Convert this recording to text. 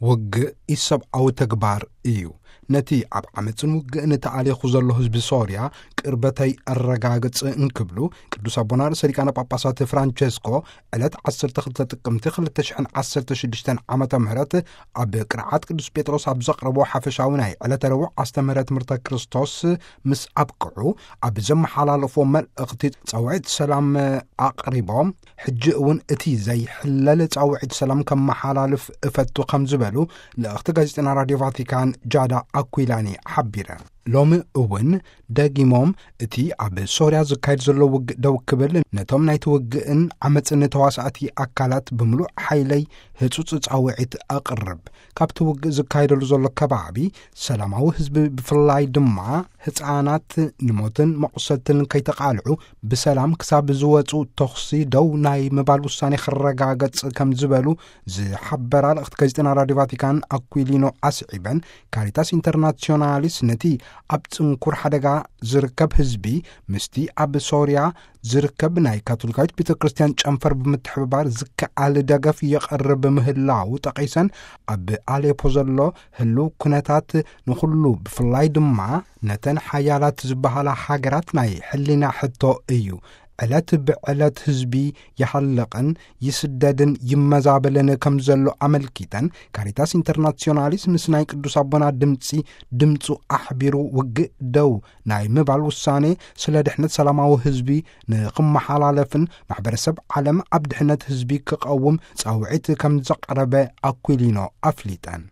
ውግእ ኢሰብኣዊ ተግባር እዩ። ነቲ ኣብ ዓመፅን ውግእን ተኣሊኹ ዘሎ ህዝቢ ሶርያ ቅርበተይ ኣረጋግፅ እንክብሉ ቅዱስ ኣቦና ርእሰ ሊቃነ ጳጳሳት ፍራንቸስኮ ዕለት ዓሰርተ ክልተ ጥቅምቲ ክልተ ሽሕን ዓሰርተ ሽዱሽተን ዓመተ ምህረት ኣብ ቅርዓት ቅዱስ ጴጥሮስ ኣብ ዘቕረቦ ሓፈሻዊ ናይ ዕለተ ረቡዕ ኣስተምህረ ትምህርተ ክርስቶስ ምስ ኣብቅዑ ኣብ ዘመሓላለፎ መልእኽቲ ጻውዒት ሰላም ኣቕሪቦም፣ ሕጂ እውን እቲ ዘይሕለል ጻውዒት ሰላም ከመሓላልፍ እፈቱ ከም ዝበሉ ልእኽቲ ጋዜጠና ራድዮ ቫቲካን ጃዳ ኣኩላኒ ሓቢረ። ሎሚ እውን ደጊሞም እቲ ኣብ ሶርያ ዝካየድ ዘሎ ውግእ ደው ክብል፣ ነቶም ናይቲ ውግእን ዓመፅን ተዋሳእቲ ኣካላት ብምሉእ ሓይለይ ህጹጽ ጻውዒት ኣቕርብ። ካብቲ ውግእ ዝካየደሉ ዘሎ ከባቢ ሰላማዊ ህዝቢ ብፍላይ ድማ ህፃናት ንሞትን መቑሰልትን ከይተቓልዑ ብሰላም ክሳብ ዝወፁ ተኹሲ ደው ናይ ምባል ውሳኔ ክረጋገጽ ከም ዝበሉ ዝሓበራ ልእኽቲ ጋዜጠና ራድዮ ቫቲካን ኣኩሊኖ ኣስዒበን፣ ካሪታስ ኢንተርናሲዮናሊስ ነቲ ኣብ ጽንኩር ሓደጋ ዝርከብ ህዝቢ ምስቲ ኣብ ሶርያ ዝርከብ ናይ ካቶሊካዊት ቤተ ክርስቲያን ጨንፈር ብምትሕብባር ዝከኣል ደገፍ የቐርብ ምህላው ጠቒሰን፣ ኣብ ኣሌፖ ዘሎ ህልው ኩነታት ንኹሉ ብፍላይ ድማ ነተን ሓያላት ዝበሃላ ሃገራት ናይ ሕሊና ሕቶ እዩ። ዕለት ብዕለት ህዝቢ ይሃልቕን ይስደድን ይመዛበልን ከም ዘሎ ኣመልኪተን፣ ካሪታስ ኢንተርናሲዮናሊስ ምስ ናይ ቅዱስ ኣቦና ድምፂ ድምፁ ኣሕቢሩ ውግእ ደው ናይ ምባል ውሳኔ ስለ ድሕነት ሰላማዊ ህዝቢ ንኽመሓላለፍን ማሕበረሰብ ዓለም ኣብ ድሕነት ህዝቢ ክቐውም ጻውዒት ከም ዘቕረበ ኣኩሊኖ ኣፍሊጠን።